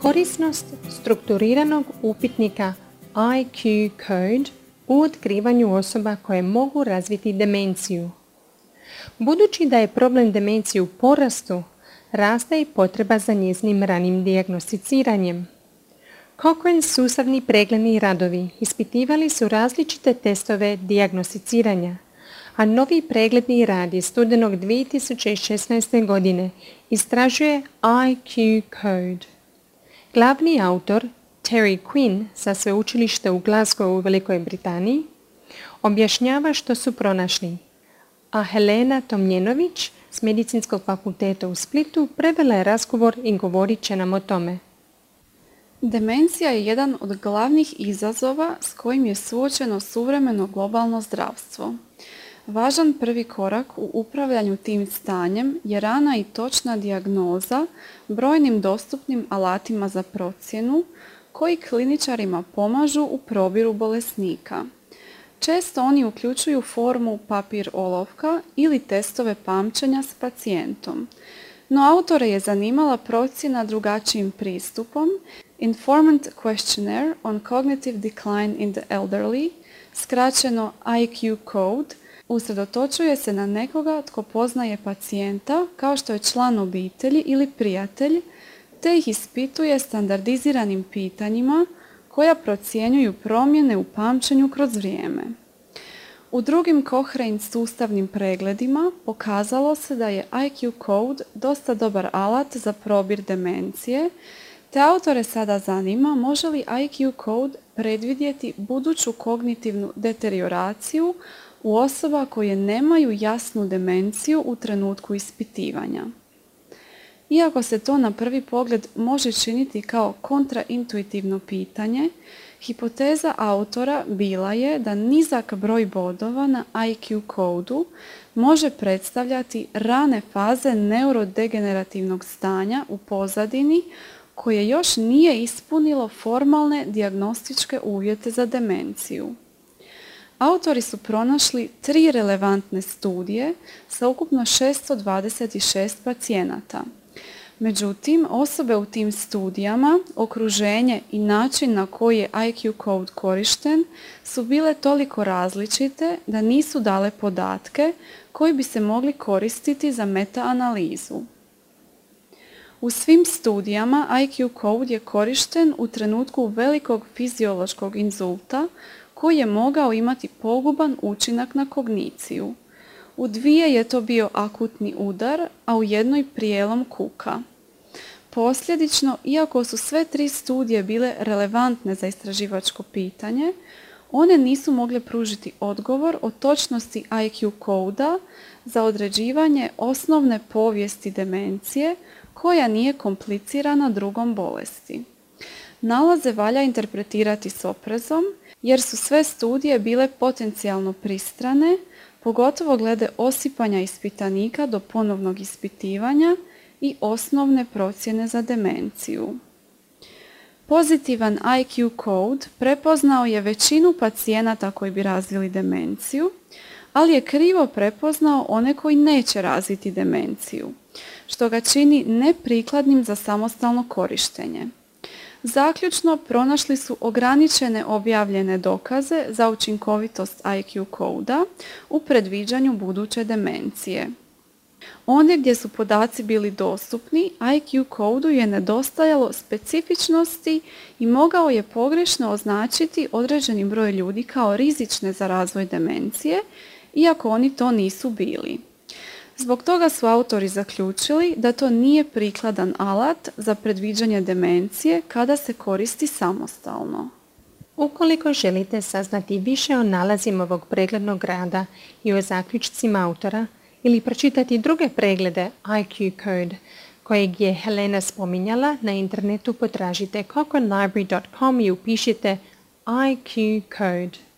Korisnost strukturiranog upitnika IQ Code u otkrivanju osoba koje mogu razviti demenciju. Budući da je problem demencije u porastu, raste i potreba za njezinim ranim dijagnosticiranjem. Cochrane sustavni pregledni radovi ispitivali su različite testove dijagnosticiranja, a novi pregledni rad iz studenog 2016. godine istražuje IQ Code. Glavni autor, Terry Quinn sa sveučilišta u Glasgowu u Velikoj Britaniji, objašnjava što su pronašli, a Helena Tomljenović s Medicinskog fakulteta u Splitu prevela je razgovor i govorit će nam o tome. Demencija je jedan od glavnih izazova s kojim je suočeno suvremeno globalno zdravstvo. Važan prvi korak u upravljanju tim stanjem je rana i točna dijagnoza brojnim dostupnim alatima za procjenu koji kliničarima pomažu u probiru bolesnika. Često oni uključuju formu papir olovka ili testove pamćenja s pacijentom, no autore je zanimala procjena drugačijim pristupom, Informant Questionnaire on Cognitive Decline in the Elderly, skraćeno IQ Code, usredotočuje se na nekoga tko poznaje pacijenta kao što je član obitelji ili prijatelj, te ih ispituje standardiziranim pitanjima koja procjenjuju promjene u pamćenju kroz vrijeme. U drugim Cochrane sustavnim pregledima pokazalo se da je IQ Code dosta dobar alat za probir demencije, te autore sada zanima može li IQ Code predvidjeti buduću kognitivnu deterioraciju u osoba koje nemaju jasnu demenciju u trenutku ispitivanja. Iako se to na prvi pogled može činiti kao kontraintuitivno pitanje, hipoteza autora bila je da nizak broj bodova na IQ kodu može predstavljati rane faze neurodegenerativnog stanja u pozadini koje još nije ispunilo formalne dijagnostičke uvjete za demenciju. Autori su pronašli 3 relevantne studije sa ukupno 626 pacijenata. Međutim, osobe u tim studijama, okruženje i način na koji je IQ Code korišten su bile toliko različite da nisu dale podatke koji bi se mogli koristiti za meta-analizu. U svim studijama IQ Code je korišten u trenutku velikog fiziološkog inzulta koji je mogao imati poguban učinak na kogniciju. U 2 je to bio akutni udar, a u jednoj prijelom kuka. Posljedično, iako su sve 3 studije bile relevantne za istraživačko pitanje, one nisu mogle pružiti odgovor o točnosti IQ koda za određivanje osnovne povijesti demencije koja nije komplicirana drugom bolesti. Nalaze valja interpretirati s oprezom jer su sve studije bile potencijalno pristrane, pogotovo glede osipanja ispitanika do ponovnog ispitivanja i osnovne procjene za demenciju. Pozitivan IQ code prepoznao je većinu pacijenata koji bi razvili demenciju, ali je krivo prepoznao one koji neće razviti demenciju, što ga čini neprikladnim za samostalno korištenje. Zaključno, pronašli su ograničene objavljene dokaze za učinkovitost IQ koda u predviđanju buduće demencije. Ondje gdje su podaci bili dostupni, IQ kodu je nedostajalo specifičnosti i mogao je pogrešno označiti određeni broj ljudi kao rizične za razvoj demencije, iako oni to nisu bili. Zbog toga su autori zaključili da to nije prikladan alat za predviđanje demencije kada se koristi samostalno. Ukoliko želite saznati više o nalazima ovog preglednog rada i o zaključcima autora ili pročitati druge preglede IQ Code kojeg je Helena spominjala, na internetu potražite cochranelibrary.com i upišite IQ Code.